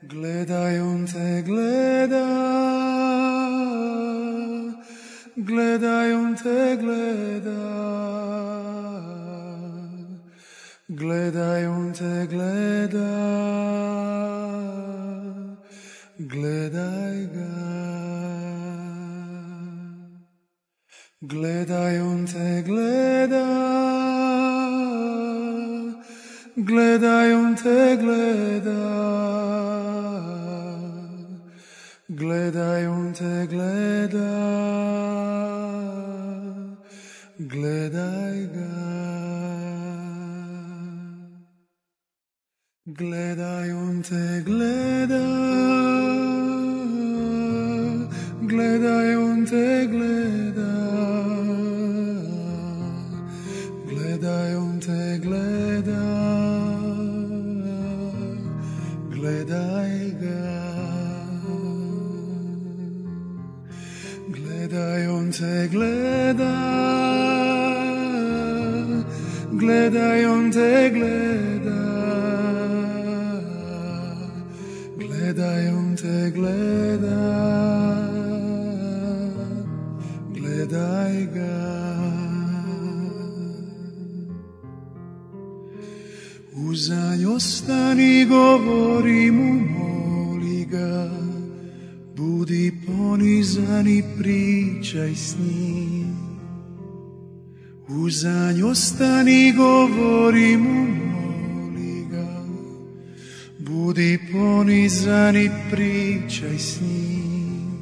Gledaj, on te gleda, gledaj, on te gleda, gledaj, on te gleda, gledaj ga. Gledaj, on te gleda, gledaj, on te gleda, gledaj, on te gleda, gledaj ga. Gledaj, on te gleda, gledaj, on te gleda, gledaj, on te gleda, gledaj ga. Gledaj, on te gleda, gledaj, on te gleda, gledaj, on te gleda, gledaj ga. Uzanj ostani, govori mu, moli ga, budi ponizan i pričaj s njim. Uzanj ostani, govori mu, moli ga, budi ponizan i pričaj s njim.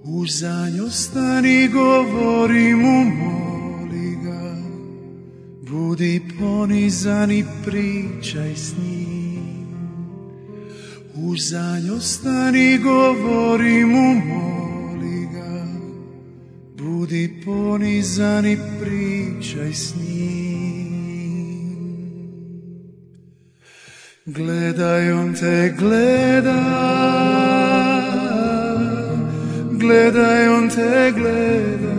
Uzanj ostani, govori mu, moli ga, budi ponizan i pričaj s njim. Uzanj ostani, govori mu, moli ga, budi ponizan i pričaj s njim. Gledaj, on te gleda, gledaj, on te gleda,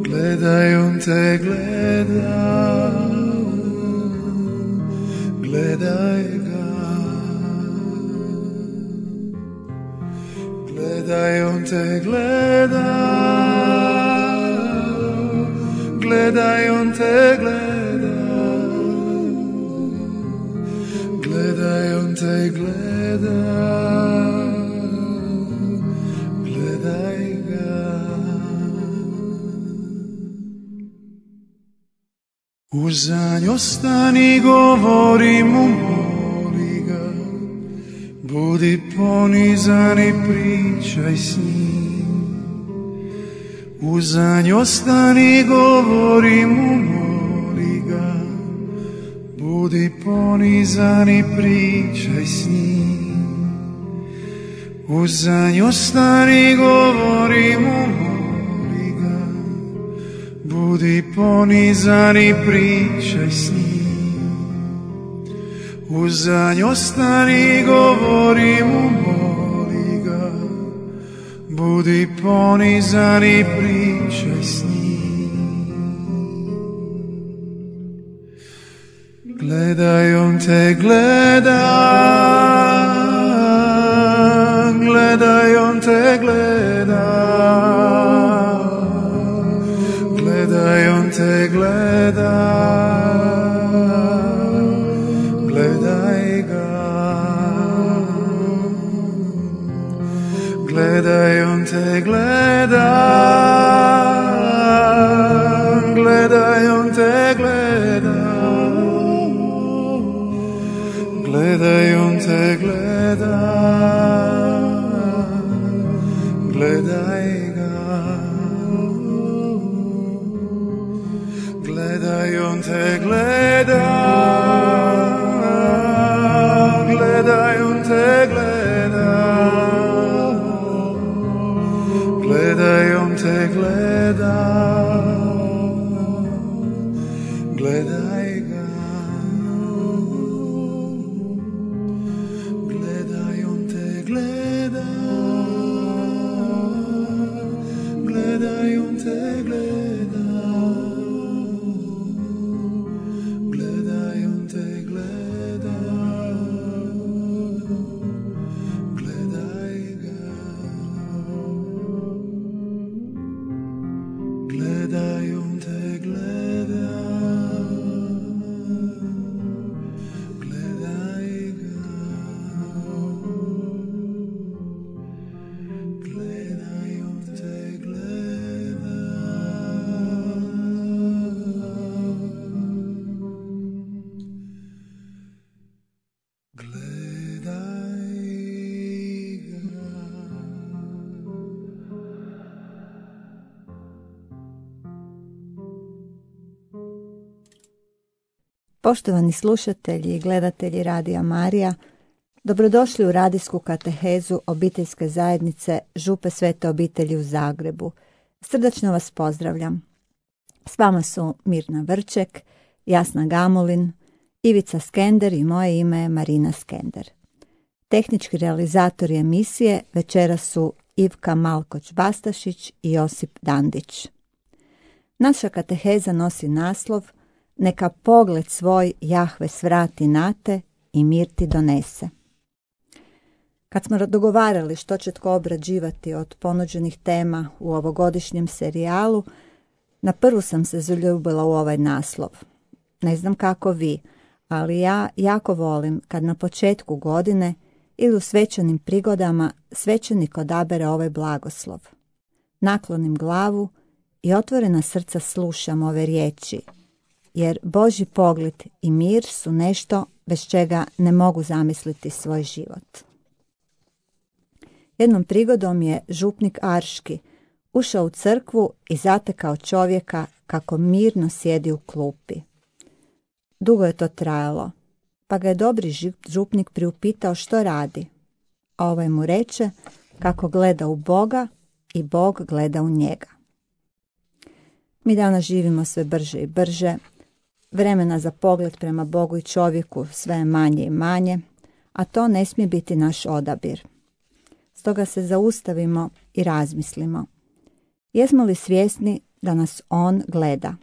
gledaj, on te gleda, gledaj ga. Gledaj, on te gleda, gledaj, on te gleda, gledaj, on te gleda, gledaj ga. Uzanj ostani, govori mu, moli ga, budi ponizan i pričaj s njim. Uzanj ostani, govori mu, moli ga, budi ponizan i pričaj s njim. Uzanj ostani, govori mu, moli ga, budi ponizan i pričaj s njim. Uzanj ostani, govori mu, moli ga, budi ponizan i pričaj s njim. Gledaj, on te gleda, gledaj, on te gleda, gledaj, on te gleda, gledaj ga. Gledaj, on te gleda, gledaj, on te gleda, gledaj, on te gleda, gledaj ga. Gledaj, on te gleda, gledaj, on te gleda, gledaj, on te gleda, gledaj ga. Gledaj, on te gleda, gledaj, on te gleda, gledaj, on te gleda. Poštovani slušatelji i gledatelji Radija Marija, dobrodošli u radijsku katehezu obiteljske zajednice Župe Svete obitelji u Zagrebu. Srdačno vas pozdravljam. S vama su Mirna Vrček, Jasna Gamulin, Ivica Skender i moje ime je Marina Skender. Tehnički realizatori emisije večeras su Ivka Malkoć-Bastašić i Josip Dandić. Naša kateheza nosi naslov Neka pogled svoj Jahve svrati na te i mir ti donese. Kad smo dogovarali što će tko obrađivati od ponuđenih tema u ovogodišnjem serijalu, na prvu sam se zaljubila u ovaj naslov. Ne znam kako vi, ali ja jako volim kad na početku godine ili u svečanim prigodama svećenik odabere ovaj blagoslov. Naklonim glavu i otvorena srca slušam ove riječi, jer Božji pogled i mir su nešto bez čega ne mogu zamisliti svoj život. Jednom prigodom je župnik Arški ušao u crkvu i zatekao čovjeka kako mirno sjedi u klupi. Dugo je to trajalo, pa ga je dobri župnik priupitao što radi, a ovaj mu reče kako gleda u Boga i Bog gleda u njega. Mi danas živimo sve brže i brže, vremena za pogled prema Bogu i čovjeku sve je manje i manje, a to ne smije biti naš odabir. Stoga se zaustavimo i razmislimo. Jesmo li svjesni da nas On gleda?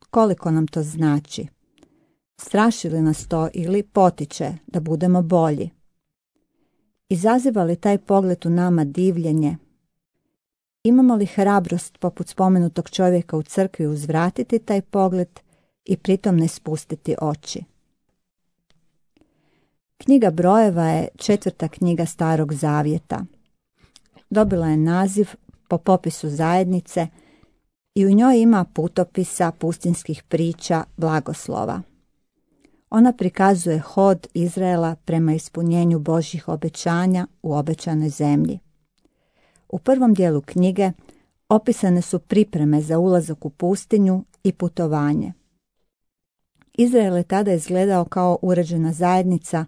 Koliko nam to znači? Straši li nas to ili potiče da budemo bolji? Izaziva li taj pogled u nama divljenje? Imamo li hrabrost poput spomenutog čovjeka u crkvi uzvratiti taj pogled i pritom ne spustiti oči? Knjiga brojeva je 4. knjiga Starog Zavjeta. Dobila je naziv po popisu zajednice i u njoj ima putopisa pustinskih priča blagoslova. Ona prikazuje hod Izraela prema ispunjenju Božjih obećanja u obećanoj zemlji. U prvom dijelu knjige opisane su pripreme za ulazak u pustinju i putovanje. Izrael je tada izgledao kao uređena zajednica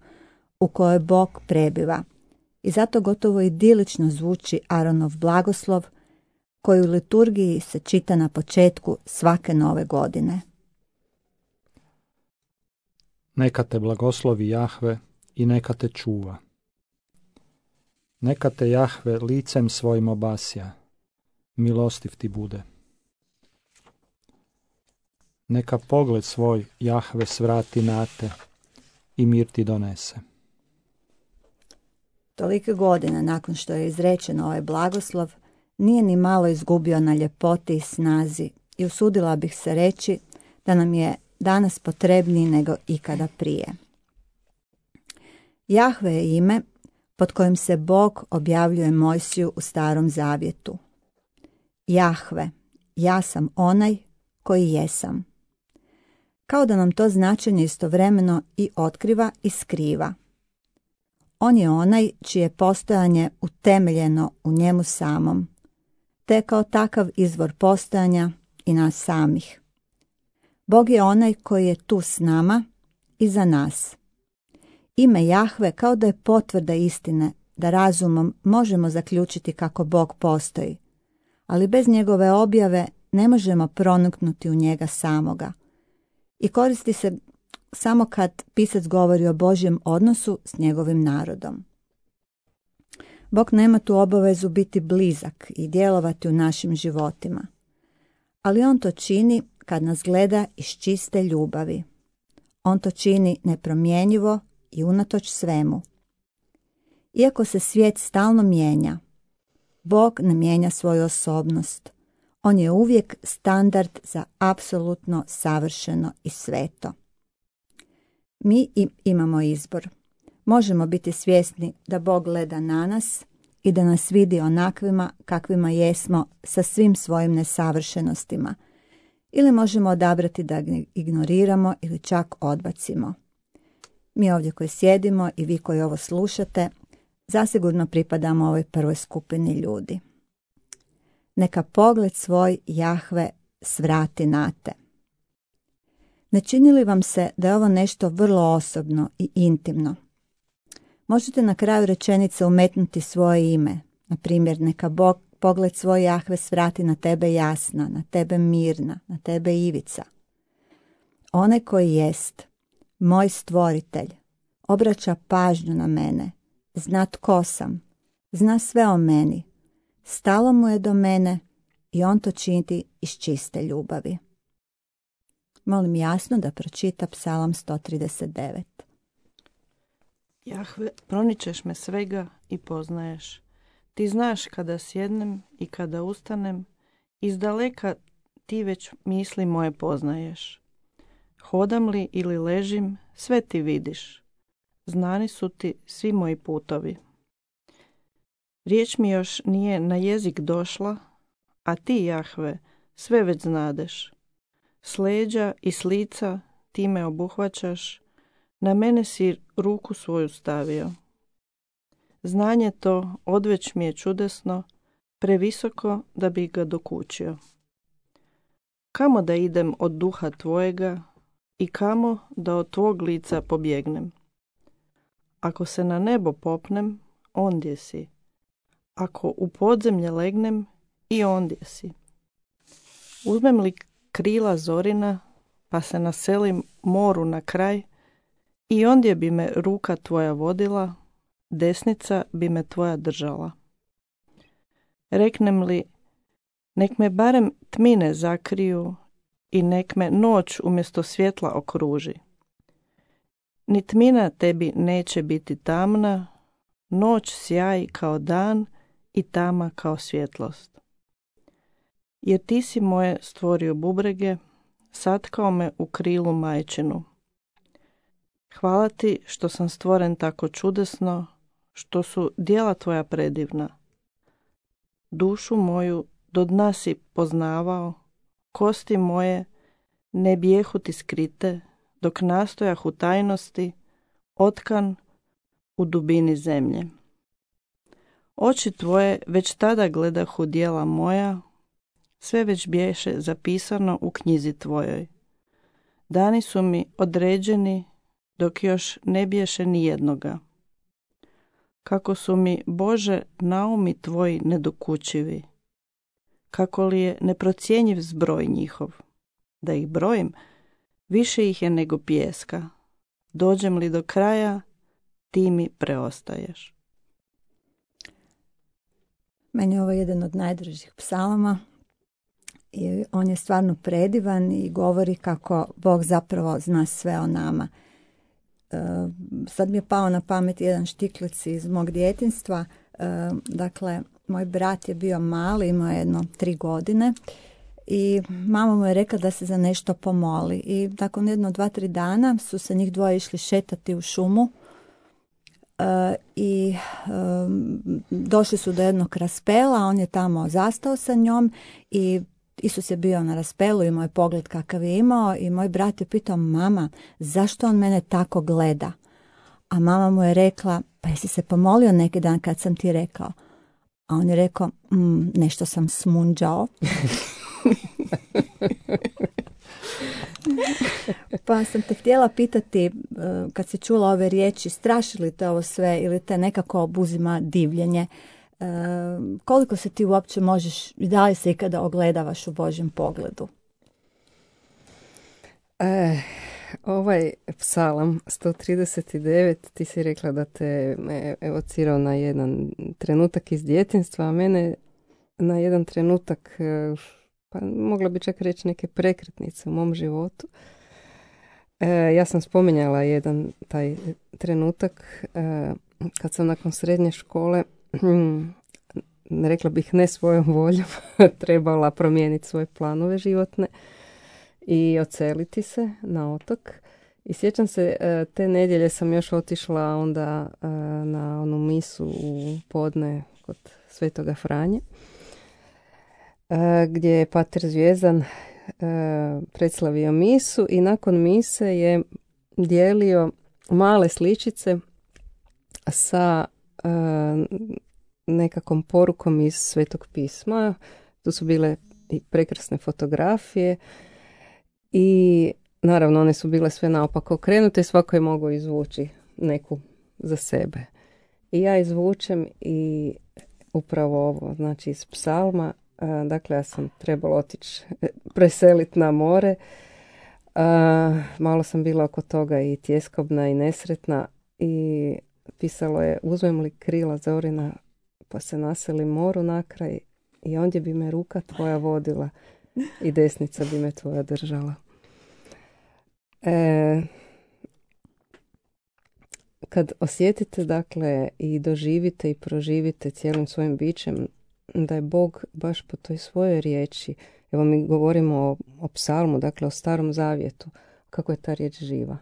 u kojoj Bog prebiva i zato gotovo idilično zvuči Aronov blagoslov koji u liturgiji se čita na početku svake nove godine. Neka te blagoslovi Jahve i neka te čuva. Neka te Jahve licem svojim obasja, milostiv ti bude. Neka pogled svoj Jahve svrati na te i mir ti donese. Tolike godine nakon što je izrečen ovaj blagoslov, nije ni malo izgubio na ljepoti i snazi i usudila bih se reći da nam je danas potrebniji nego ikada prije. Jahve je ime pod kojim se Bog objavljuje Mojsiju u Starom Zavjetu. Jahve, ja sam onaj koji jesam. Kao da nam to značenje istovremeno i otkriva i skriva. On je onaj čije postojanje utemeljeno u njemu samom, te kao takav izvor postojanja i nas samih. Bog je onaj koji je tu s nama i za nas. Ime Jahve kao da je potvrda istine da razumom možemo zaključiti kako Bog postoji, ali bez njegove objave ne možemo proniknuti u njega samoga. I koristi se samo kad pisac govori o Božjem odnosu s njegovim narodom. Bog nema tu obavezu biti blizak i djelovati u našim životima, ali on to čini kad nas gleda iz čiste ljubavi. On to čini nepromjenjivo i unatoč svemu. Iako se svijet stalno mijenja, Bog ne mijenja svoju osobnost. On je uvijek standard za apsolutno savršeno i sveto. Mi imamo izbor. Možemo biti svjesni da Bog gleda na nas i da nas vidi onakvima kakvima jesmo sa svim svojim nesavršenostima. Ili možemo odabrati da ga ignoriramo ili čak odbacimo. Mi ovdje koji sjedimo i vi koji ovo slušate, zasigurno pripadamo ovoj prvoj skupini ljudi. Neka pogled svoj Jahve svrati na te. Ne čini li vam se da je ovo nešto vrlo osobno i intimno? Možete na kraju rečenice umetnuti svoje ime. Na primjer, neka Bog pogled svoj Jahve svrati na tebe Jasna, na tebe Mirna, na tebe Ivica. Onaj koji jest, moj stvoritelj, obraća pažnju na mene, zna tko sam, zna sve o meni, stalo mu je do mene i on to čini iz čiste ljubavi. Molim Jasno da pročita Psalam 139. Jahve, proničeš me svega i poznaješ. Ti znaš kada sjednem i kada ustanem, izdaleka ti već misli moje poznaješ. Hodam li ili ležim, sve ti vidiš. Znani su ti svi moji putovi. Riječ mi još nije na jezik došla, a ti, Jahve, sve već znadeš. S leđa i s lica ti me obuhvaćaš, na mene si ruku svoju stavio. Znanje to odveć mi je čudesno, previsoko da bi ga dokučio. Kamo da idem od duha tvojega i kamo da od tvog lica pobjegnem? Ako se na nebo popnem, ondje si. Ako u podzemlje legnem, i ondje si. Uzmem li krila zorina, pa se naselim moru na kraj, i ondje bi me ruka tvoja vodila, desnica bi me tvoja držala. Reknem li, nek me barem tmine zakriju i nek me noć umjesto svjetla okruži. Ni tmina tebi neće biti tamna, noć sjaji kao dan i tama kao svjetlost. Jer ti si moje stvorio bubrege, satkao me u krilu majčinu. Hvala ti što sam stvoren tako čudesno, što su djela tvoja predivna. Dušu moju do dna si poznavao, kosti moje ne bijehu ti skrite, dok nastojah u tajnosti, otkan u dubini zemlje. Oči tvoje već tada gledahu djela moja, sve već biješe zapisano u knjizi tvojoj. Dani su mi određeni, dok još ne biješe ni jednoga. Kako su mi, Bože, naumi tvoji nedokučivi, kako li je neprocjenjiv zbroj njihov. Da ih brojim, više ih je nego pijeska. Dođem li do kraja, ti mi preostaješ. Meni je ovo jedan od najdražih psalama i on je stvarno predivan i govori kako Bog zapravo zna sve o nama. Sad mi je pao na pamet jedan štiklic iz mog djetinjstva. Dakle, moj brat je bio mali, imao je jedno 3 godine i mama mu je rekla da se za nešto pomoli. I nakon jedno 2-3 dana su se njih dvoje išli šetati u šumu i došli su do jednog raspela, on je tamo zastao sa njom i Isus je bio na raspelu, imao je pogled kakav je imao i moj brat je pitao, mama, zašto on mene tako gleda? A mama mu je rekla, pa jesi se pomolio neki dan kad sam ti rekao? A on je rekao, nešto sam smunđao. Pa sam te htjela pitati, kad si čula ove riječi, straši li te ovo sve ili te nekako obuzima divljenje? Koliko se ti uopće možeš i da li se ikada ogledavaš u Božjem pogledu? Ovaj psalam 139, ti si rekla da te evocirao na jedan trenutak iz djetinjstva, a mene na jedan trenutak, pa mogla bi čak reći neke prekretnice u mom životu. Ja sam spominjala jedan taj trenutak kad sam nakon srednje škole, rekla bih ne svojom voljom, trebala promijeniti svoje planove životne i odseliti se na otok. I sjećam se, te nedjelje sam još otišla onda na onu misu u podne kod Svetoga Franje, gdje je pater Zvijezdan predslavio misu i nakon mise je dijelio male sličice sa nekakvom porukom iz Svetog pisma. Tu su bile i prekrasne fotografije i naravno one su bile sve naopako okrenute i svako je mogao izvući neku za sebe. I ja izvučem i upravo ovo, znači iz psalma, dakle ja sam trebala otići preseliti na more. Malo sam bila oko toga i tjeskobna i nesretna i pisalo je: uzmem li krila zorina pa se naselim moru na kraj i ondje bi me ruka tvoja vodila i desnica bi me tvoja držala. Kad osjetite, dakle, i doživite i proživite cijelim svojim bićem da je Bog baš po toj svojoj riječi, evo mi govorimo o psalmu, dakle o Starom Zavjetu, kako je ta riječ živa,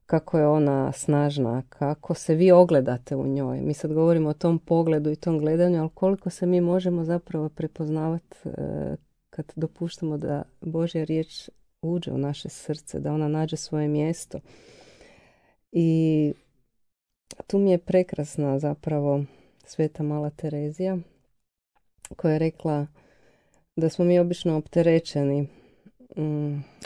kako je ona snažna, kako se vi ogledate u njoj. Mi sad govorimo o tom pogledu i tom gledanju, ali koliko se mi možemo zapravo prepoznavati kad dopuštamo da Božja riječ uđe u naše srce, da ona nađe svoje mjesto. I tu mi je prekrasna zapravo Sveta Mala Terezija, koja je rekla da smo mi obično opterećeni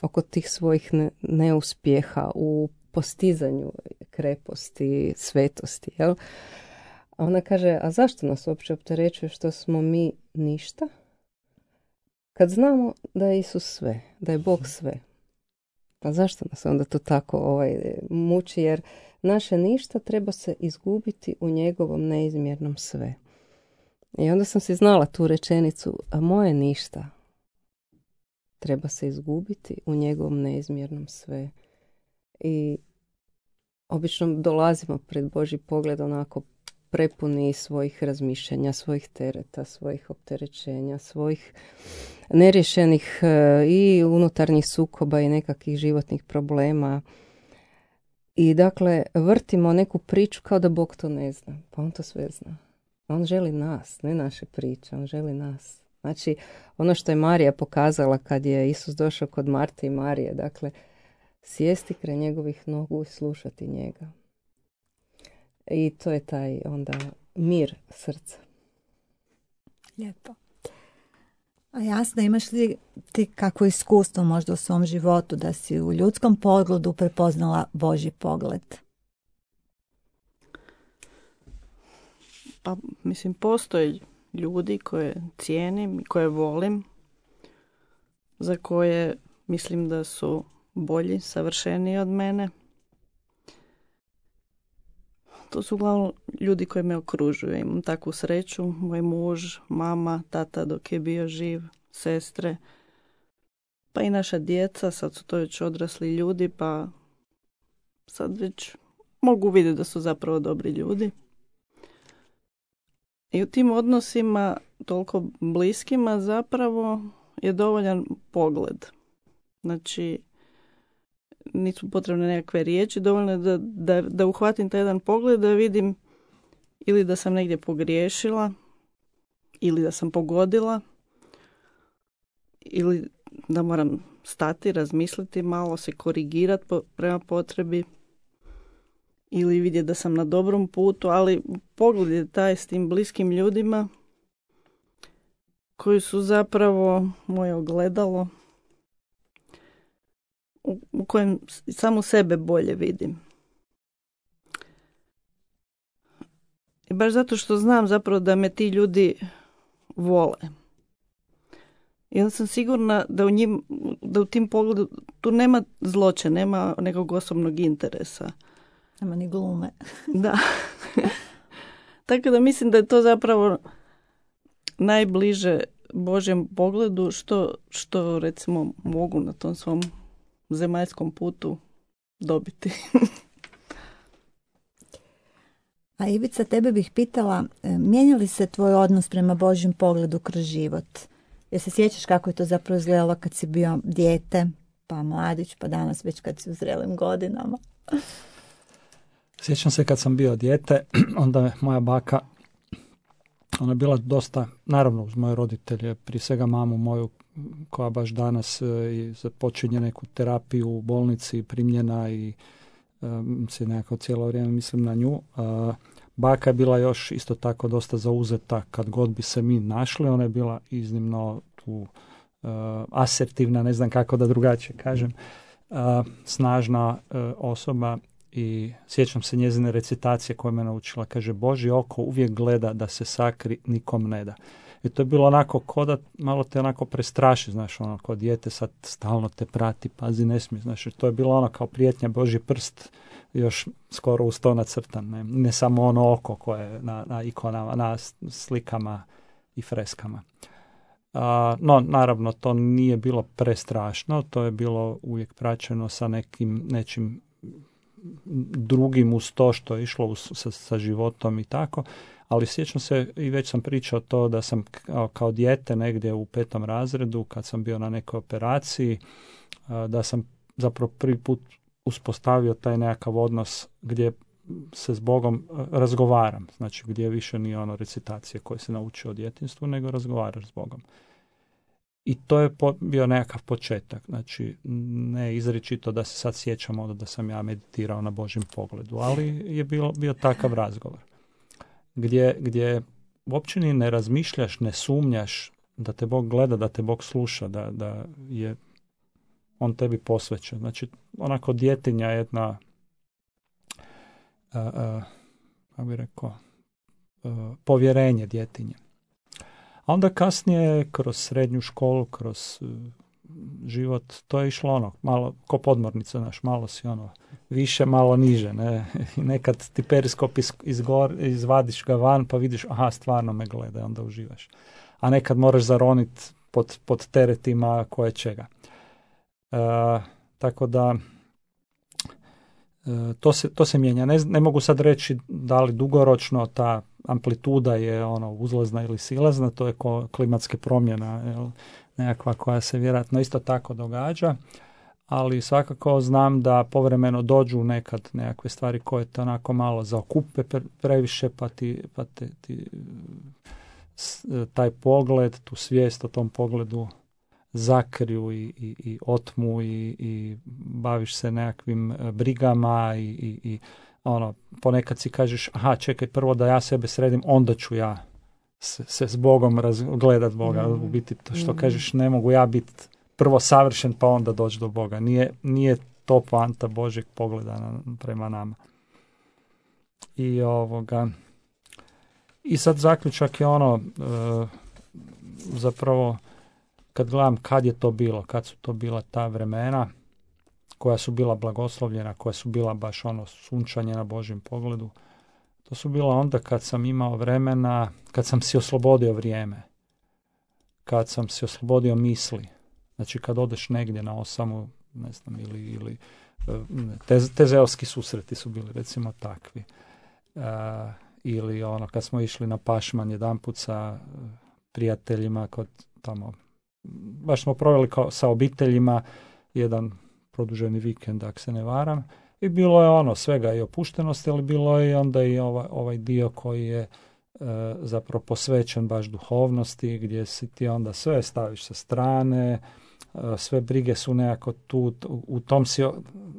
oko tih svojih neuspjeha u postizanju kreposti, svetosti. Jel? A ona kaže, a zašto nas uopće opterećuje što smo mi ništa? Kad znamo da je Isus sve, da je Bog sve. Pa zašto nas onda to tako muči? Jer naše ništa treba se izgubiti u njegovom neizmjernom sve. I onda sam si znala tu rečenicu, a moje ništa treba se izgubiti u njegovom neizmjernom sve. I obično dolazimo pred Božji pogled onako prepuni svojih razmišljanja, svojih tereta, svojih opterećenja, svojih neriješenih i unutarnjih sukoba i nekakvih životnih problema. I dakle, vrtimo neku priču kao da Bog to ne zna. Pa on to sve zna. On želi nas, ne naše priče, on želi nas. Znači, ono što je Marija pokazala kad je Isus došao kod Marte i Marije, dakle, sjesti kraj njegovih nogu i slušati njega. I to je taj onda mir srca. Lijepo. A jasno, imaš li ti kakvo iskustvo možda u svom životu da si u ljudskom pogledu prepoznala Božji pogled? Pa, mislim, postoje ljudi koje cijenim i koje volim, za koje mislim da su bolji, savršeniji od mene. To su uglavnom ljudi koji me okružuju. Imam takvu sreću, moj muž, mama, tata dok je bio živ, sestre, pa i naša djeca, sad su to već odrasli ljudi, pa sad već mogu vidjeti da su zapravo dobri ljudi. I u tim odnosima, toliko bliskima, zapravo je dovoljan pogled. Znači, nisu potrebne nekakve riječi, dovoljno je da uhvatim taj jedan pogled, da vidim ili da sam negdje pogriješila, ili da sam pogodila, ili da moram stati, razmisliti malo, se korigirati prema potrebi, ili vidjeti da sam na dobrom putu, ali pogled je taj s tim bliskim ljudima koji su zapravo moje ogledalo, u kojem samo sebe bolje vidim. I baš zato što znam zapravo da me ti ljudi vole. I onda sam sigurna da u tim pogledu tu nema zloće, nema nekog osobnog interesa. Nema ni glume. Da. Tako da mislim da je to zapravo najbliže Božjem pogledu što recimo mogu na tom svom zemaljskom putu dobiti. A Ivica, tebe bih pitala, mijenja li se tvoj odnos prema Božjem pogledu kroz život? Jer se sjećaš kako je to zapravo izgledalo kad si bio dijete, pa mladić, pa danas već kad si u zrelim godinama? Sjećam se kad sam bio dijete, onda je moja baka, ona je bila dosta, naravno uz moje roditelje, prije svega mamu moju, koja baš danas započinje neku terapiju u bolnici, primljena i se nekako cijelo vrijeme mislim na nju. Baka je bila još isto tako dosta zauzeta kad god bi se mi našli. Ona je bila iznimno tu asertivna, ne znam kako da drugačije kažem. snažna osoba i sjećam se njezine recitacije koje me naučila. Kaže, Božje oko uvijek gleda da se sakri, nikom ne da. I to je bilo onako ko da malo te onako prestraši, znaš, ono, kao dijete sad stalno te prati, pazi, ne smije, znaš, to je bilo ono kao prijetnja, Božji prst, još skoro uz to nacrtan, ne samo ono oko koje je na ikonama, na slikama i freskama. No, naravno, to nije bilo prestrašno, to je bilo uvijek praćeno sa nečim drugim uz to što je išlo sa životom i tako, ali sjećam se i već sam pričao to da sam kao dijete negdje u 5. razredu, kad sam bio na nekoj operaciji, da sam zapravo prvi put uspostavio taj nekakav odnos gdje se s Bogom razgovaram, znači gdje više nije ono recitacije koje se naučio u djetinjstvu, nego razgovaraš s Bogom. I to je bio nekakav početak, znači ne izričito da se sad sjećamo da sam ja meditirao na Božjem pogledu, ali je bio takav razgovor. Gdje uopće ni ne razmišljaš, ne sumnjaš da te Bog gleda, da te Bog sluša, da je on tebi posvećen. Znači, onako djetinja jedna, kako bih rekao, povjerenje djetinje. A onda kasnije, kroz srednju školu, kroz život, to je išlo ono, malo, ko podmornica, znaš, malo si ono, više, malo niže, ne? I nekad ti periskop izvadiš ga van, pa vidiš, aha, stvarno me gleda, i onda uživaš. A nekad moraš zaroniti pod teretima koje čega. Tako da, to se mijenja. Ne mogu sad reći da li dugoročno ta amplituda je ono uzlazna ili silazna, to je klimatske promjena, nekakva koja se vjerojatno isto tako događa, ali svakako znam da povremeno dođu nekad nekakve stvari koje te onako malo zaokupe previše, pa ti taj pogled, tu svijest o tom pogledu zakriju i otmu i baviš se nekakvim brigama i ono, ponekad si kažeš, aha, čekaj, prvo da ja sebe sredim, onda ću ja se s Bogom gledat Boga. U biti, to što kažeš, ne mogu ja biti prvo savršen, pa onda doći do Boga. Nije to poanta Božjeg pogleda prema nama. I sad zaključak je ono, zapravo, kad gledam kad je to bilo, kad su to bila ta vremena, koja su bila blagoslovljena, koja su bila baš ono sunčanje na Božjem pogledu, to su bila onda kad sam imao vremena, kad sam si oslobodio vrijeme, kad sam si oslobodio misli. Znači kad odeš negdje na osamu, ne znam, ili tezeovski susreti su bili recimo takvi. Ili ono kad smo išli na pašman jedanput sa prijateljima kod tamo, baš smo proveli sa obiteljima jedan produženi vikend, ako se ne varam. I bilo je ono svega i opuštenosti, ali bilo je onda i ovaj dio koji je zapravo posvećen baš duhovnosti, gdje si ti onda sve staviš sa strane, sve brige su nekako tu, u tom si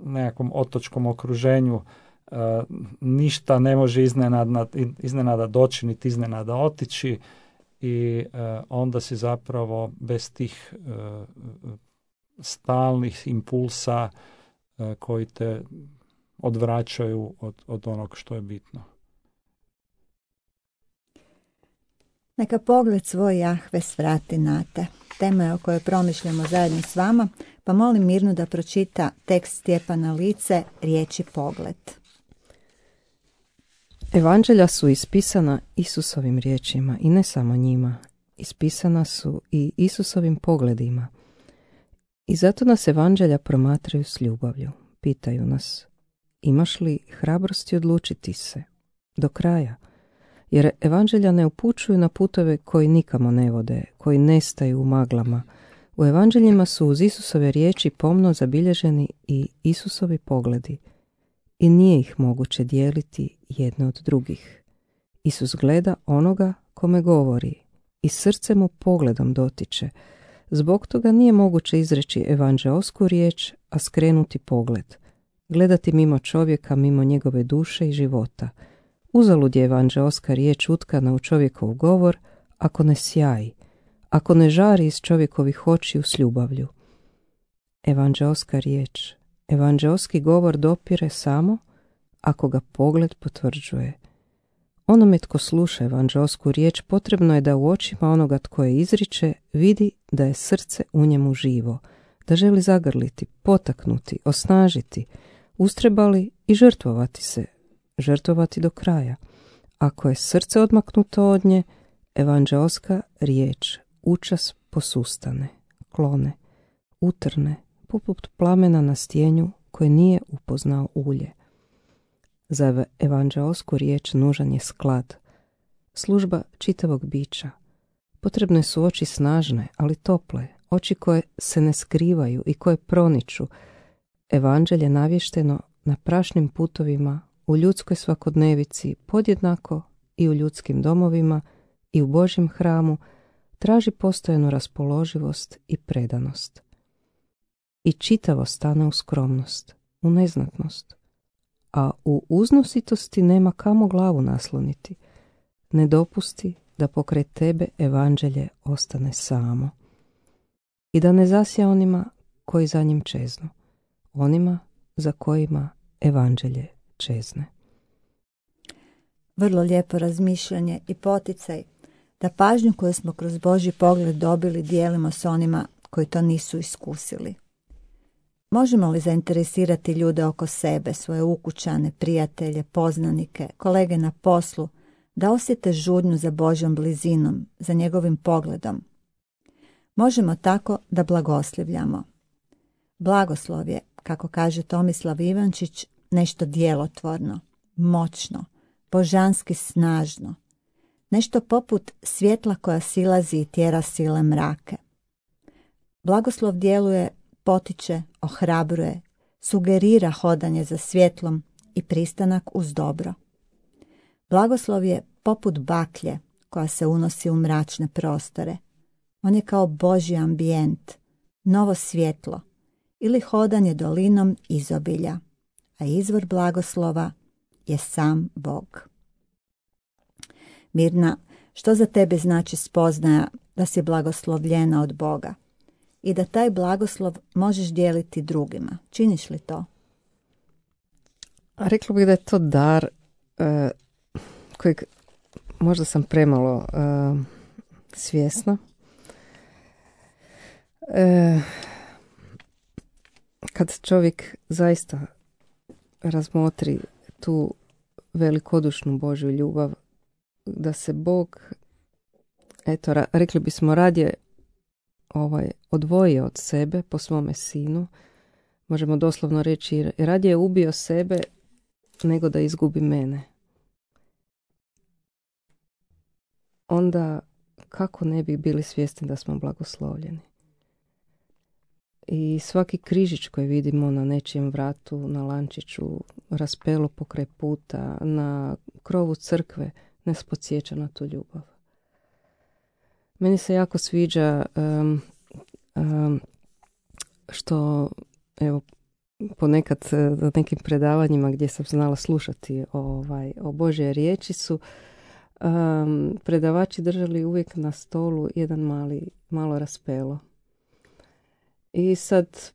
nekakvom otočkom okruženju, ništa ne može iznenada doći, niti iznenada otići i onda si zapravo bez tih stalnih impulsa koji te odvraćaju od onog što je bitno. Neka pogled svoj Jahve svrati na te. Tema je o kojoj promišljamo zajedno s vama, pa molim Mirnu da pročita tekst Stjepana Lice, riječi pogled. Evanđelja su ispisana Isusovim riječima i ne samo njima. Ispisana su i Isusovim pogledima. I zato nas evanđelja promatraju s ljubavlju. Pitaju nas, imaš li hrabrosti odlučiti se do kraja? Jer evanđelja ne upućuju na putove koji nikamo ne vode, koji nestaju u maglama. U evanđeljima su uz Isusove riječi pomno zabilježeni i Isusovi pogledi. I nije ih moguće dijeliti jedne od drugih. Isus gleda onoga kome govori i srce mu pogledom dotiče. Zbog toga nije moguće izreći evanđeosku riječ, a skrenuti pogled. Gledati mimo čovjeka, mimo njegove duše i života. Uzalud je evanđeoska riječ utkana u čovjekov govor, ako ne sjaji, ako ne žari iz čovjekovih očiju s ljubavlju. evanđeoska riječ. Evanđeoski govor dopire samo ako ga pogled potvrđuje. Onome tko sluša evanđeosku riječ potrebno je da u očima onoga tko je izriče vidi da je srce u njemu živo, da želi zagrliti, potaknuti, osnažiti, ustrebali i žrtvovati se, žrtvovati do kraja. Ako je srce odmaknuto od nje, evanđeoska riječ učas posustane, klone, utrne, poput plamena na stjenju koje nije upoznao ulje. Za evanđeosku riječ nužan je sklad, služba čitavog bića. Potrebne su oči snažne, ali tople, oči koje se ne skrivaju i koje proniču. Evanđelje navješteno na prašnim putovima, u ljudskoj svakodnevici, podjednako i u ljudskim domovima i u Božjem hramu, traži postojanu raspoloživost i predanost. I čitavo stane u skromnost, u neznatnost, a u uznositosti nema kamo glavu nasloniti. Ne dopusti da pokraj tebe evanđelje ostane samo i da ne zasja onima koji za njim čeznu, onima za kojima evanđelje čezne. Vrlo lijepo razmišljanje i poticaj da pažnju koju smo kroz Božji pogled dobili dijelimo s onima koji to nisu iskusili. Možemo li zainteresirati ljude oko sebe, svoje ukućane, prijatelje, poznanike, kolege na poslu, da osjete žudnju za Božjom blizinom, za njegovim pogledom? Možemo tako da blagoslivljamo. Blagoslov je, kako kaže Tomislav Ivančić, nešto djelotvorno, moćno, božanski snažno, nešto poput svjetla koja silazi i tjera sile mrake. Blagoslov djeluje, potiče, ohrabruje, sugerira hodanje za svjetlom i pristanak uz dobro. Blagoslov je poput baklje koja se unosi u mračne prostore. On je kao Božji ambijent, novo svjetlo ili hodanje dolinom izobilja, a izvor blagoslova je sam Bog. Mirna, što za tebe znači spoznaja da si blagoslovljena od Boga i da taj blagoslov možeš dijeliti drugima? Činiš li to? Rekla bih da je to dar kojeg možda sam premalo svjesna. Kad čovjek zaista razmotri tu velikodušnu Božju ljubav, da se Bog, eto, rekli bismo, radije odvojio od sebe po svome sinu, možemo doslovno reći, radije ubio sebe nego da izgubi mene. Onda kako ne bi bili svjesni da smo blagoslovljeni? I svaki križić koji vidimo na nečijem vratu, na lančiću, raspelo pokraj puta, na krovu crkve, nas podsjeća na tu ljubav. Meni se jako sviđa što, evo, ponekad na nekim predavanjima gdje sam znala slušati o Božje riječi su predavači držali uvijek na stolu jedan malo raspelo. I sad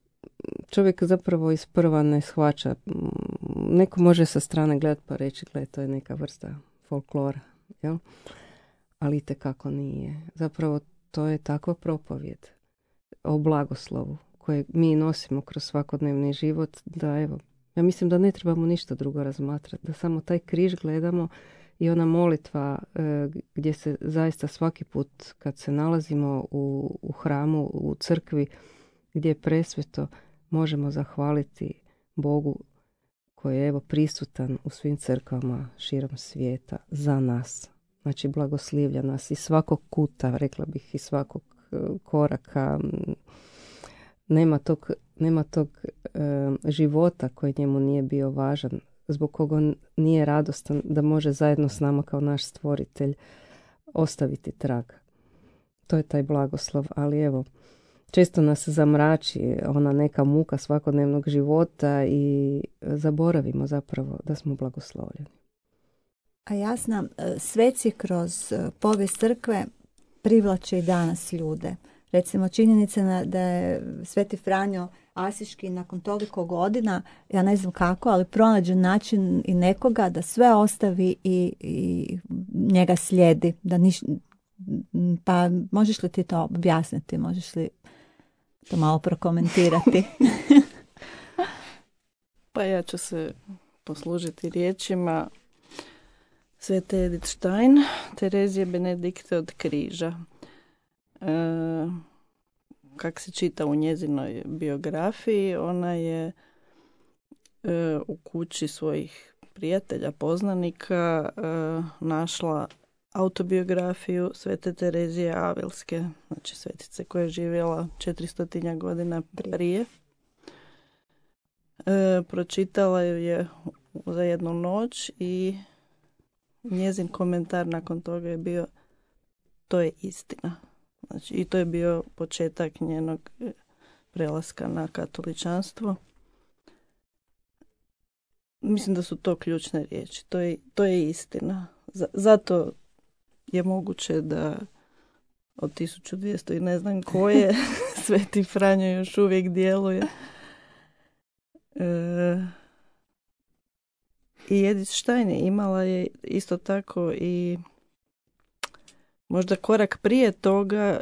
čovjek zapravo isprva ne shvaća. Neko može sa strane gledati pa reći, to je neka vrsta folklora, jel? Ali itekako nije. Zapravo to je takva propovjed o blagoslovu koje mi nosimo kroz svakodnevni život, da evo, ja mislim da ne trebamo ništa drugo razmatrati, da samo taj križ gledamo i ona molitva gdje se zaista svaki put kad se nalazimo u hramu, u crkvi, gdje je presveto, možemo zahvaliti Bogu koji je evo prisutan u svim crkvama širom svijeta za nas. Znači blagoslivlja nas iz svakog kuta, rekla bih, iz svakog koraka. Nema tog života koji njemu nije bio važan, zbog koga on nije radostan da može zajedno s nama kao naš stvoritelj ostaviti trag. To je taj blagoslov, ali evo, često nas zamrači ona neka muka svakodnevnog života i zaboravimo zapravo da smo blagoslovljeni. A Jasna, sveci kroz povijest crkve privlače i danas ljude. Recimo činjenica da je Sveti Franjo Asiški nakon toliko godina, ja ne znam kako, ali pronađe način i nekoga da sve ostavi i njega slijedi. Pa možeš li ti to objasniti? Možeš li to malo prokomentirati? Pa ja ću se poslužiti riječima Svete Edith Stein, Terezije Benedikte od križa. Kak se čita u njezinoj biografiji, ona je u kući svojih prijatelja, poznanika našla autobiografiju Svete Terezije Avilske, znači svetice koja je živjela 400 godina prije. Pročitala ju je za jednu noć i njezin komentar nakon toga je bio: to je istina. Znači, i to je bio početak njenog prelaska na katoličanstvo. Mislim da su to ključne riječi. To je istina. Zato je moguće da od 1200 i ne znam koje Sveti Franjo još uvijek djeluje. I Edith Stein imala je isto tako i možda korak prije toga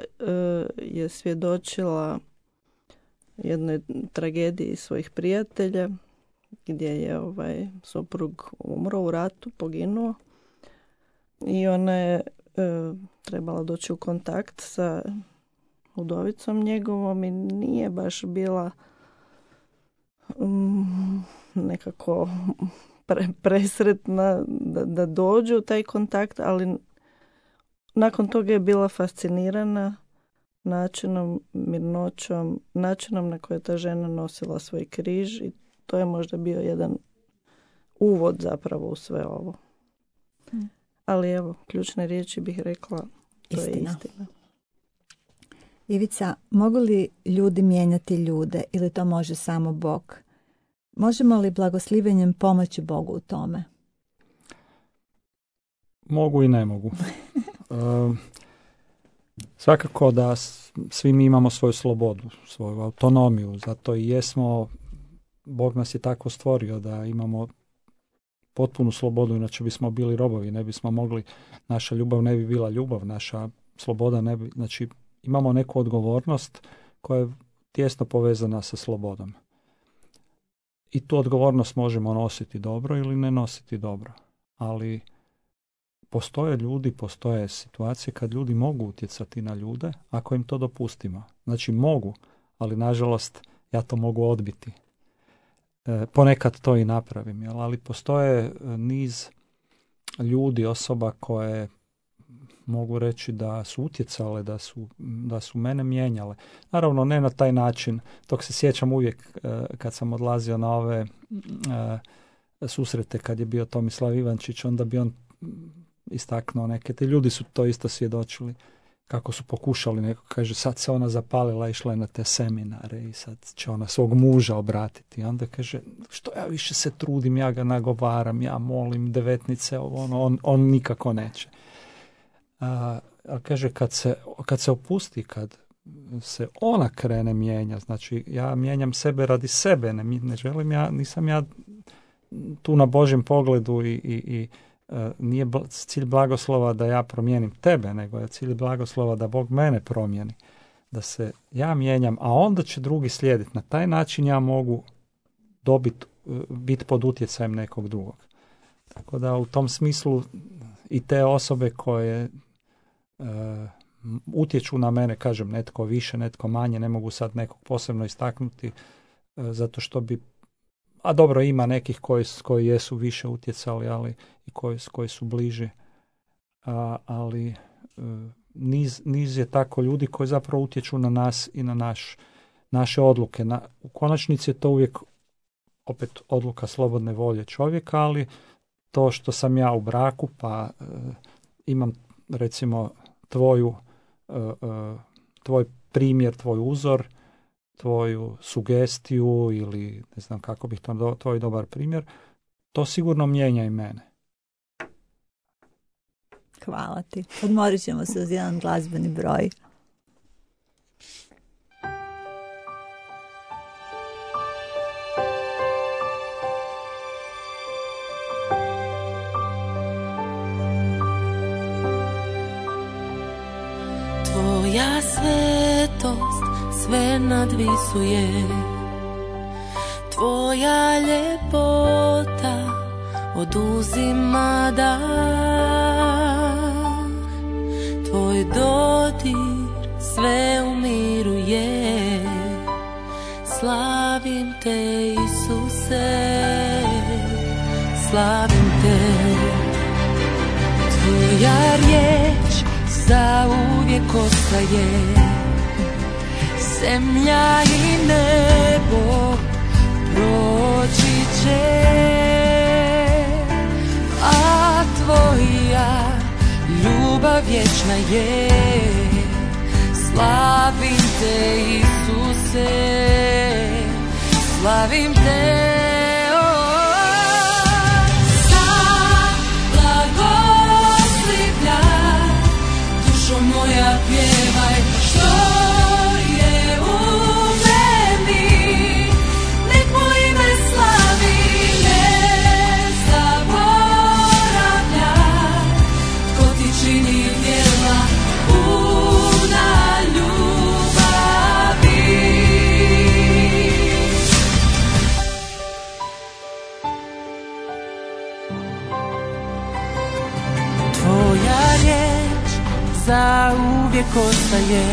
je svjedočila jednoj tragediji svojih prijatelja gdje je suprug umro u ratu, poginuo i ona je trebala doći u kontakt sa udovicom njegovom i nije baš bila nekako presretna da dođu u taj kontakt, ali nakon toga je bila fascinirana načinom, mirnoćom, načinom na koji je ta žena nosila svoj križ i to je možda bio jedan uvod zapravo u sve ovo. Ali evo, ključne riječi bih rekla, to je istina. Ivica, mogu li ljudi mijenjati ljude ili to može samo Bog? Možemo li blagoslivenjem pomoći Bogu u tome? Mogu i ne mogu. Svakako da svi mi imamo svoju slobodu, svoju autonomiju, zato i jesmo, Bog nas je tako stvorio da imamo potpunu slobodu, inače bismo bili robovi, ne bismo mogli, naša ljubav ne bi bila ljubav, naša sloboda ne bi, znači imamo neku odgovornost koja je tijesno povezana sa slobodom. I tu odgovornost možemo nositi dobro ili ne nositi dobro, ali postoje ljudi, postoje situacije kad ljudi mogu utjecati na ljude ako im to dopustimo. Znači mogu, ali nažalost ja to mogu odbiti. Ponekad to i napravim, ali postoje niz ljudi, osoba koje mogu reći da su utjecale, da su mene mijenjale. Naravno ne na taj način, tog se sjećam uvijek kad sam odlazio na ove susrete kad je bio Tomislav Ivančić, onda bi on istaknuo neke, te ljudi su to isto svjedočili kako su pokušali, neko kaže sad se ona zapalila, išla je na te seminare i sad će ona svog muža obratiti. Onda kaže, što ja više se trudim, ja ga nagovaram, ja molim devetnice, on nikako neće. A kaže, kad se opusti, kad se ona krene mijenja, znači ja mijenjam sebe radi sebe, ne želim nisam ja tu na Božjem pogledu i nije cilj blagoslova da ja promijenim tebe, nego je cilj blagoslova da Bog mene promijeni, da se ja mijenjam, a onda će drugi slijediti. Na taj način ja mogu biti pod utjecajem nekog drugog. Tako da u tom smislu i te osobe koje utječu na mene, kažem, netko više, netko manje, ne mogu sad nekog posebno istaknuti, zato što bi, a dobro, ima nekih koji jesu više utjecali, ali i koji su bliži, ali niz je tako ljudi koji zapravo utječu na nas i na naše odluke. U konačnici je to uvijek opet odluka slobodne volje čovjeka, ali to što sam ja u braku, pa imam recimo tvoj primjer, tvoj uzor, tvoju sugestiju ili ne znam kako bih to, tvoj dobar primjer, to sigurno mijenja i mene. Hvala ti. Odmorit ćemo se uz jedan glazbeni broj. Tvoja svetost sve nadvisuje, tvoja ljepota oduzima dah, tvoj dodir sve umiruje. Slavim te, Isuse, slavim te. Tvoja riječ zauvijek ostaje, zemlja i nebo proći će, a tvoja ljubav vječna je. Slavim te, Isuse, slavim te. Moja pjevaj što je u meni, nek moj ime slavi, ne zaboravljaj, tko ti čini djela puna ljubavi. Tvoja riječ zauvijek ostaje,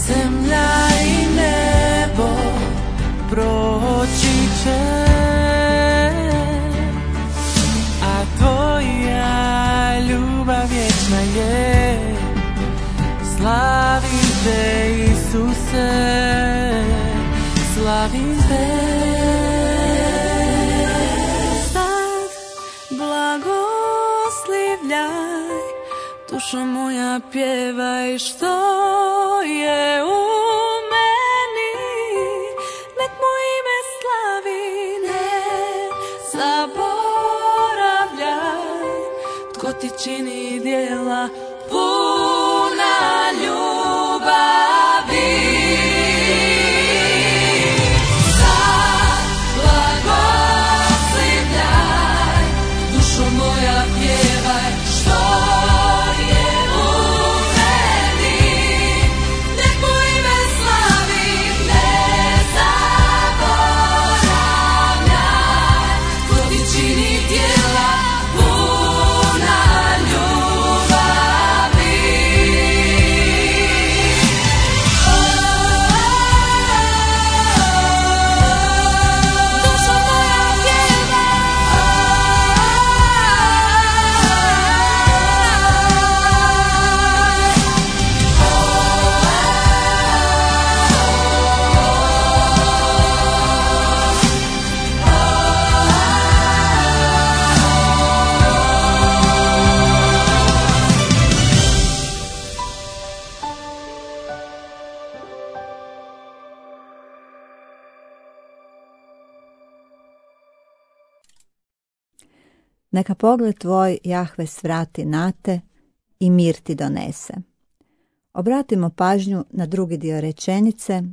zemlja i nebo proći će, a tvoja ljubav vječna je. Slavim te, Isuse, slavim te. Sad blagoslivljaj, dušo moja pjevaj što je u meni, nek moj ime slavi, ne zaboravljaj, tko ti čini djela puna ljubavi. Sad blagoslivljaj, dušo moja pjevaj što Neka pogled tvoj, Jahve, svrati na te i mir ti donese. Obratimo pažnju na drugi dio rečenice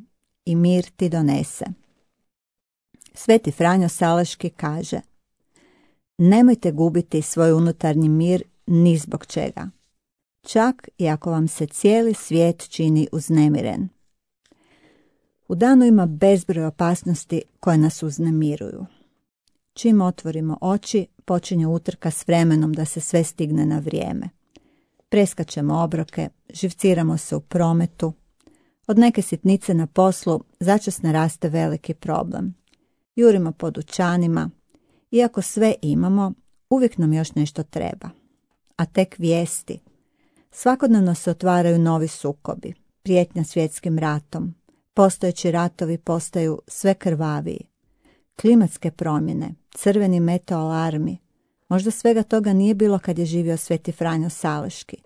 i mir ti donese. Sveti Franjo Salaški kaže: nemojte gubiti svoj unutarnji mir ni zbog čega, čak i ako vam se cijeli svijet čini uznemiren. U danu ima bezbroj opasnosti koje nas uznemiruju. Čim otvorimo oči, počinje utrka s vremenom da se sve stigne na vrijeme. Preskačemo obroke, živciramo se u prometu. Od neke sitnice na poslu začas naraste veliki problem. Jurimo po dućanima. Iako sve imamo, uvijek nam još nešto treba. A tek vijesti. Svakodnevno se otvaraju novi sukobi, prijetnja svjetskim ratom. Postojeći ratovi postaju sve krvaviji. Klimatske promjene, crveni meteoalarmi. Možda svega toga nije bilo kad je živio Sveti Franjo Salaški.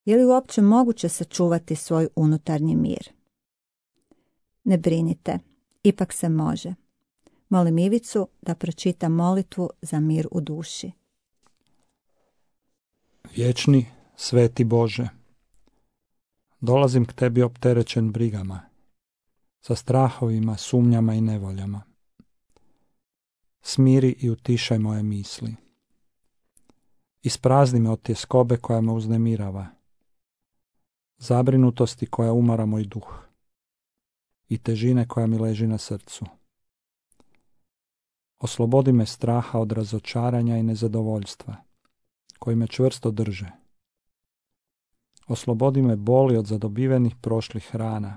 Je li uopće moguće sačuvati svoj unutarnji mir? Ne brinite, ipak se može. Molim Ivicu da pročita molitvu za mir u duši. Vječni, sveti Bože, dolazim k tebi opterećen brigama, sa strahovima, sumnjama i nevoljama. Smiri i utišaj moje misli. Isprazni me od tjeskobe koja me uznemirava. zabrinutosti koja umara moj duh i težine koja mi leži na srcu. Oslobodi me straha od razočaranja i nezadovoljstva, koji me čvrsto drže. Oslobodi me boli od zadobivenih prošlih rana,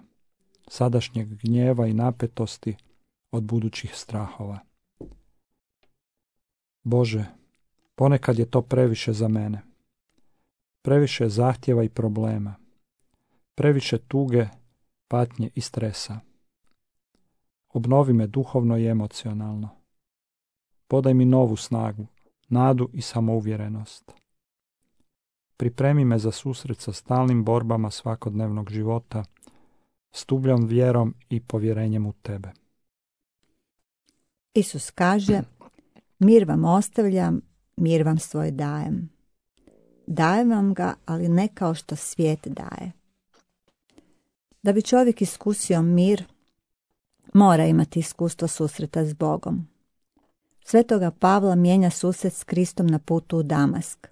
sadašnjeg gnjeva i napetosti od budućih strahova. Bože, ponekad je to previše za mene. Previše zahtjeva i problema. Previše tuge, patnje i stresa. Obnovi me duhovno i emocionalno. Podaj mi novu snagu, nadu i samouvjerenost. Pripremi me za susret sa stalnim borbama svakodnevnog života, s tubljom vjerom i povjerenjem u Tebe. Isus kaže, mir vam ostavljam, mir vam svoj dajem. Dajem vam ga, ali ne kao što svijet daje. Da bi čovjek iskusio mir, mora imati iskustvo susreta s Bogom. Svetoga Pavla mijenja susret s Kristom na putu u Damask.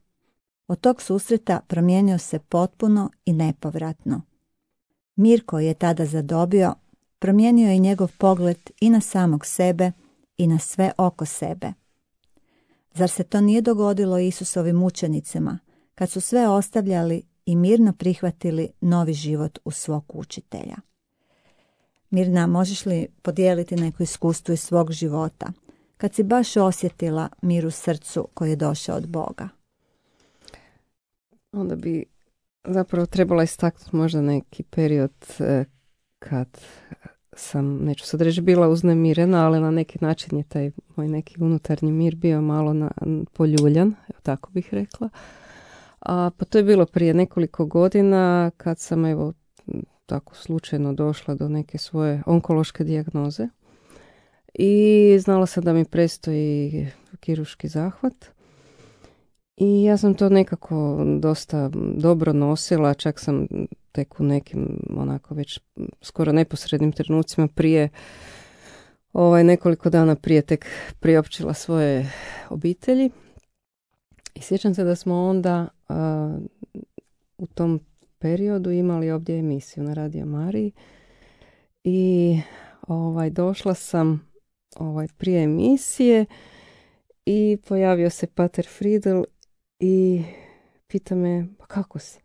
Od tog susreta promijenio se potpuno i nepovratno. Mir koji je tada zadobio, promijenio je njegov pogled i na samog sebe i na sve oko sebe. Zar se to nije dogodilo Isusovim učenicima, kad su sve ostavljali i mirno prihvatili novi život u svog učitelja? Mirna, možeš li podijeliti neko iskustvo iz svog života, kad si baš osjetila mir u srcu koji je došao od Boga? Onda bi zapravo trebala istaknuti možda neki period kad sam, neću sad reći, bila uznemirena, ali na neki način je taj moj neki unutarnji mir bio malo poljuljan, tako bih rekla. Pa to je bilo prije nekoliko godina kad sam tako slučajno došla do neke svoje onkološke dijagnoze i znala sam da mi predstoji kirurški zahvat. I ja sam to nekako dosta dobro nosila, čak sam tek u nekim onako već skoro neposrednim trenucima prije, nekoliko dana prije tek priopćila svoje obitelji. I sjećam se da smo onda u tom periodu imali ovdje emisiju na Radio Mariji i došla sam prije emisije i pojavio se pater Friedel i pita me, pa kako si?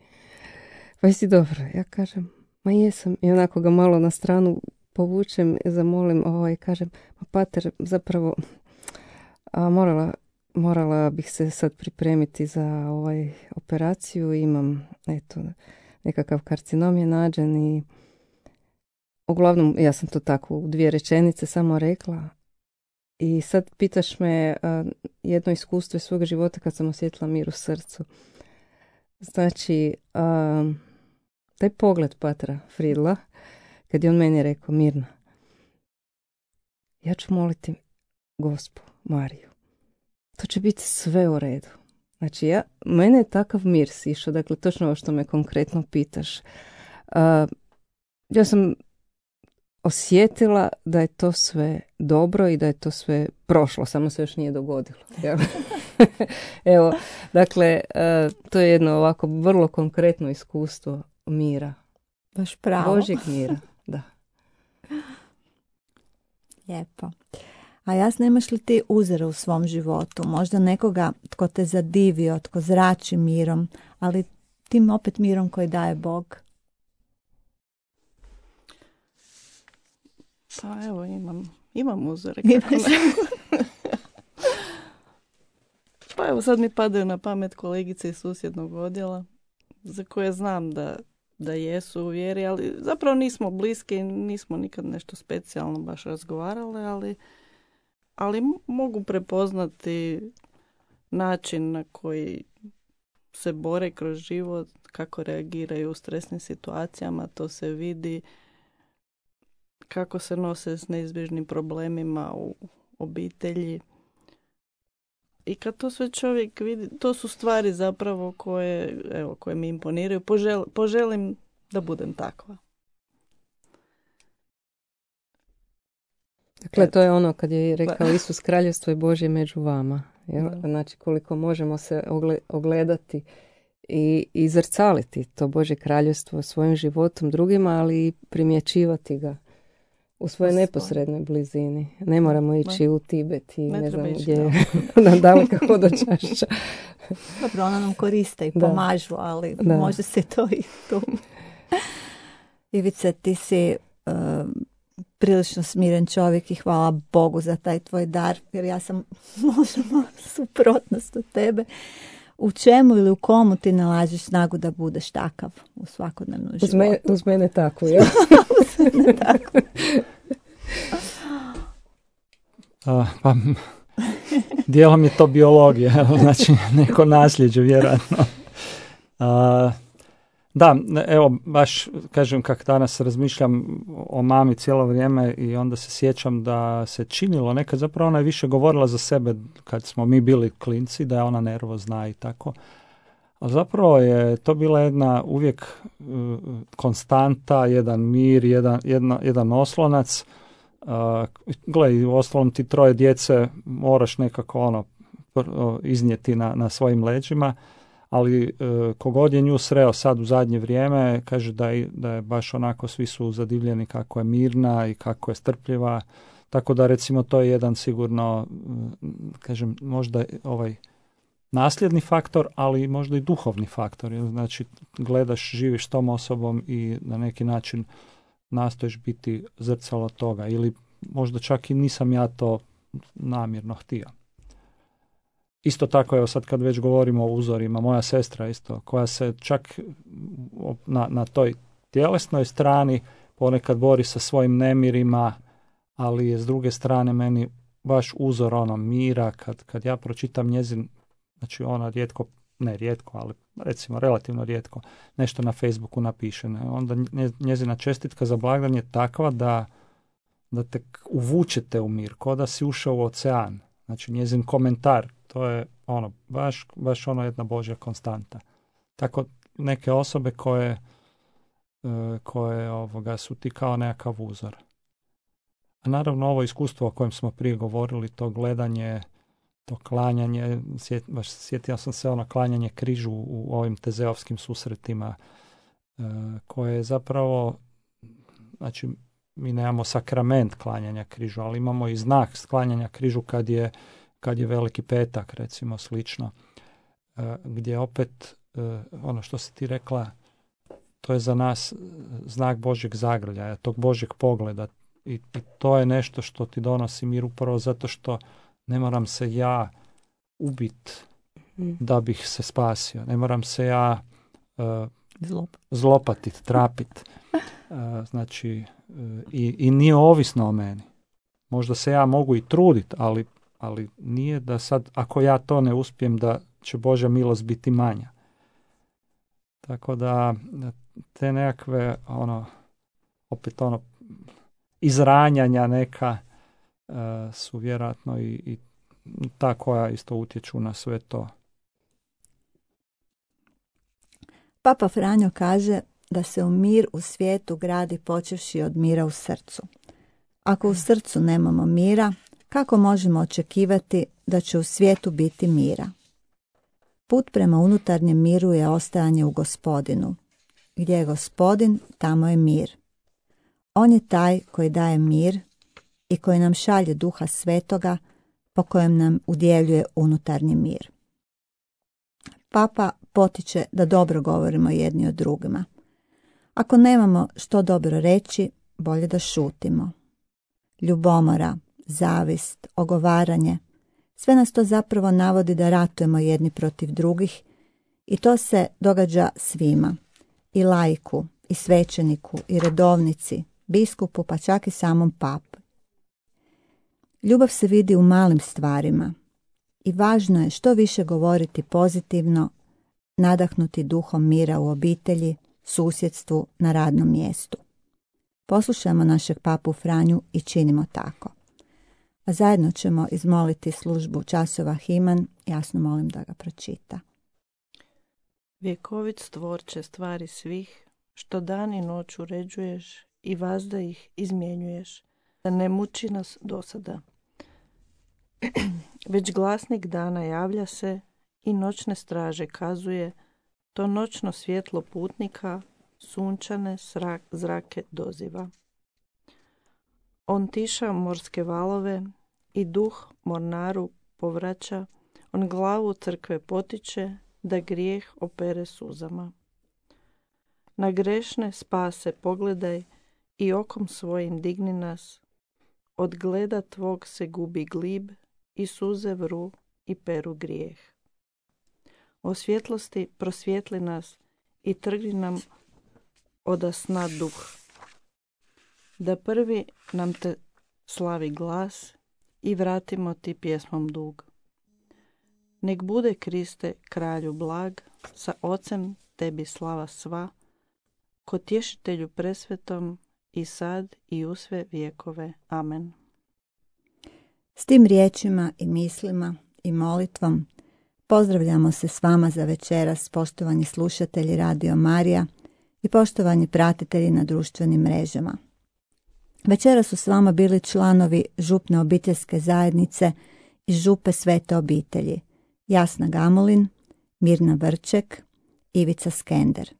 Pa jesi dobro? Ja kažem, ma jesam. I onako ga malo na stranu povučem i zamolim, kažem, ma pater, zapravo morala bih se sad pripremiti za operaciju. Imam, nekakav karcinom je nađen i uglavnom, ja sam to tako u 2 rečenice samo rekla. I sad pitaš me jedno iskustvo iz svog života kad sam osjetila mir u srcu. Znači, taj pogled patra Friedla, kad je on meni rekao, Mirna, ja ću moliti Gospu Mariju. To će biti sve u redu. Znači, mene je takav mir sišao, dakle, točno ovo što me konkretno pitaš. Ja sam osjetila da je to sve dobro i da je to sve prošlo, samo se još nije dogodilo. Evo, dakle, to je jedno ovako vrlo konkretno iskustvo mira. Baš pravo. Božjeg mira, da. Lijepo. A jasno, imaš li ti uzore u svom životu? Možda nekoga tko te zadivio, tko zrači mirom, ali tim opet mirom koji daje Bog? Pa evo, imam uzore. Pa evo, sad mi padaju na pamet kolegice iz susjednog odjela, za koje znam da jesu u vjeri, ali zapravo nismo bliski, nismo nikad nešto specijalno baš razgovarale, ali mogu prepoznati način na koji se bore kroz život, kako reagiraju u stresnim situacijama, to se vidi, kako se nose s neizbježnim problemima u obitelji. I kad to sve čovjek vidi, to su stvari zapravo koje mi imponiraju. Poželim da budem takva. Dakle, to je ono kad je rekao Isus, kraljevstvo je Božje među vama. Jel? Znači, koliko možemo se ogledati i zrcaliti to Božje kraljevstvo svojim životom drugima, ali i primjećivati ga u svojoj neposrednoj blizini. Ne moramo ići u Tibet i ne znam gdje nam daleka hodočašća. Dobro, ona nam koriste i Da. pomažu, ali Da. može se to i tu. Ivice, ti si prilično smiren čovjek i hvala Bogu za taj tvoj dar, jer ja sam možda suprotnost od tebe. U čemu ili u komu ti nalaziš snagu da budeš takav u svakodnevnom životu? Uz mene tako, ja. Tako. Pa, dijelom je to biologija, evo, znači neko nasljeđe vjerojatno. Da, evo, baš kažem kako danas razmišljam o mami cijelo vrijeme i onda se sjećam da se činilo nekad, zapravo ona je više govorila za sebe kad smo mi bili klinci, da je ona nervozna i tako. A zapravo je to bila jedna uvijek konstanta, jedan mir, jedan oslonac. Gle, u ostalom ti troje djece moraš nekako iznijeti na svojim leđima, ali kogod je nju sreo sad u zadnje vrijeme, kaže da je baš onako, svi su zadivljeni kako je mirna i kako je strpljiva, tako da recimo to je jedan sigurno, kažem, možda nasljedni faktor, ali možda i duhovni faktor. Znači, gledaš, živiš s tom osobom i na neki način nastojiš biti zrcalo toga. Ili možda čak i nisam ja to namjerno htio. Isto tako, evo sad kad već govorimo o uzorima, moja sestra isto, koja se čak na toj tjelesnoj strani ponekad bori sa svojim nemirima, ali je s druge strane meni baš uzor mira, kad ja pročitam njezin, znači ona rijetko, ali recimo relativno rijetko, nešto na Facebooku napiše. Onda njezina čestitka za blagdan je takva da te uvučete u mir, ko da si ušao u ocean. Znači njezin komentar, to je baš jedna Božja konstanta. Tako neke osobe koje su ti kao nekakav uzor. A naravno ovo iskustvo o kojem smo prije govorili, to gledanje, to klanjanje, sjetio sam se klanjanje križu u ovim tezeovskim susretima, koje je zapravo, znači mi nemamo sakrament klanjanja križu, ali imamo i znak klanjanja križu kad je Veliki petak, recimo slično, gdje opet ono što si ti rekla, to je za nas znak Božjeg zagrljaja, tog Božjeg pogleda, i to je nešto što ti donosi mir upravo zato što ne moram se ja ubit da bih se spasio, ne moram se ja zlopatit, trapit, znači i nije ovisno o meni. Možda se ja mogu i trudit, ali nije da sad, ako ja to ne uspijem, da će Božja milost biti manja. Tako da te nekakve izranjanja neka su vjerojatno i ta koja isto utječu na sve to. Papa Franjo kaže da se mir u svijetu gradi počevši od mira u srcu. Ako u srcu nemamo mira, kako možemo očekivati da će u svijetu biti mira? Put prema unutarnjem miru je ostajanje u Gospodinu. Gdje je Gospodin, tamo je mir. On je taj koji daje mir i koji nam šalje Duha Svetoga, po kojem nam udjeljuje unutarnji mir. Papa potiče da dobro govorimo jedni o drugima. Ako nemamo što dobro reći, bolje da šutimo. Ljubomora, zavist, ogovaranje, sve nas to zapravo navodi da ratujemo jedni protiv drugih, i to se događa svima, i laiku, i svećeniku, i redovnici, biskupu, pa čak i samom papi. Ljubav se vidi u malim stvarima i važno je što više govoriti pozitivno, nadahnuti duhom mira u obitelji, susjedstvu, na radnom mjestu. Poslušajmo našeg papu Franju i činimo tako. A zajedno ćemo izmoliti službu časova Himan, jasno molim da ga pročita. Vjekovit stvorče stvari svih, što dan i noć uređuješ i vazda ih izmjenjuješ, da ne muči nas dosada. Već glasnik dana javlja se i noćne straže kazuje to noćno svjetlo putnika sunčane zrake doziva. On tiša morske valove i duh mornaru povraća, on glavu crkve potiče da grijeh opere suzama. Na grešne spase pogledaj i okom svojim digni nas, od gleda tvog se gubi glib i suze vru i peru grijeh. O svjetlosti prosvjetli nas i trgni nam oda sna duh, da prvi nam te slavi glas i vratimo ti pjesmom dug. Nek bude Kriste kralju blag, sa Ocem tebi slava sva, ko tješitelju presvetom i sad i u sve vjekove. Amen. S tim riječima i mislima i molitvom pozdravljamo se s vama za večeras, poštovani slušatelji Radio Marija i poštovani pratitelji na društvenim mrežama. Večeras su s vama bili članovi župne obiteljske zajednice iz župe Svete obitelji, Jasna Gamulin, Mirna Vrček, Ivica Skender.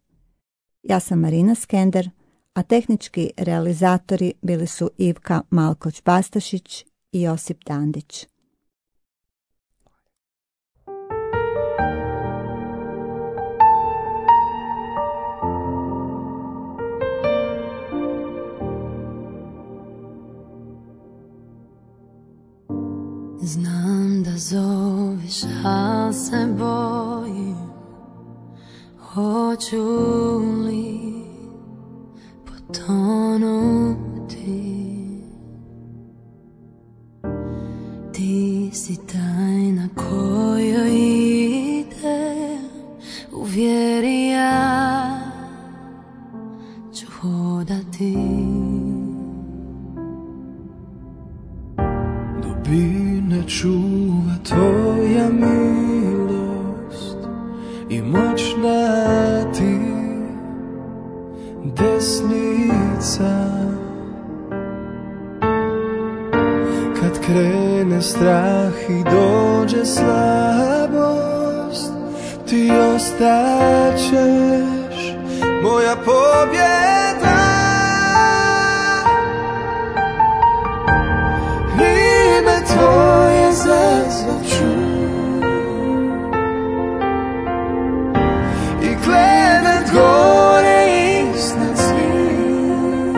Ja sam Marina Skender, a tehnički realizatori bili su Ivka Malkoć-Bastašić i Josip Dandić. Znam da zoveš, al se bojim, hoću li potonuti. Ti si tajna kojoj ide, u vjeri ja ću hodati. Dubine čuva tvoja milost i moćna ti desnica. Kad krene strah i dođe slabost, ti ostaćeš moja pobjeda. Ime tvoje zazvaću i gledat gore iznad svih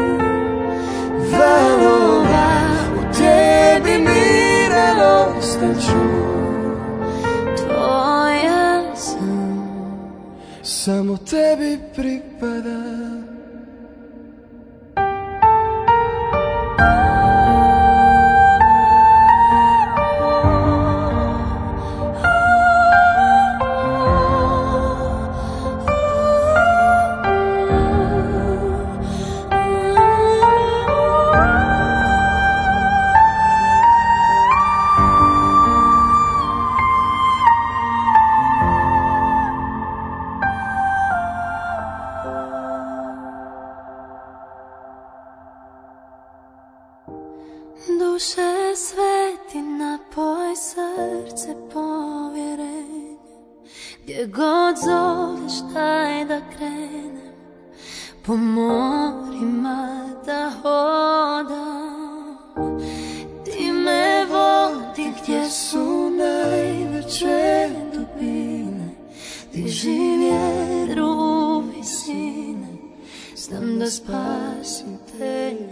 valova. U tebi miran ostaću, Tvoja sam, samo tebi pripada. duše sveti, napoj srce povjerenje. Gdje god zoveš daj da krenem, po morima da hodam. Ti me vodi gdje su najveće dubine, diži vjeru u visine, znam da spasitelje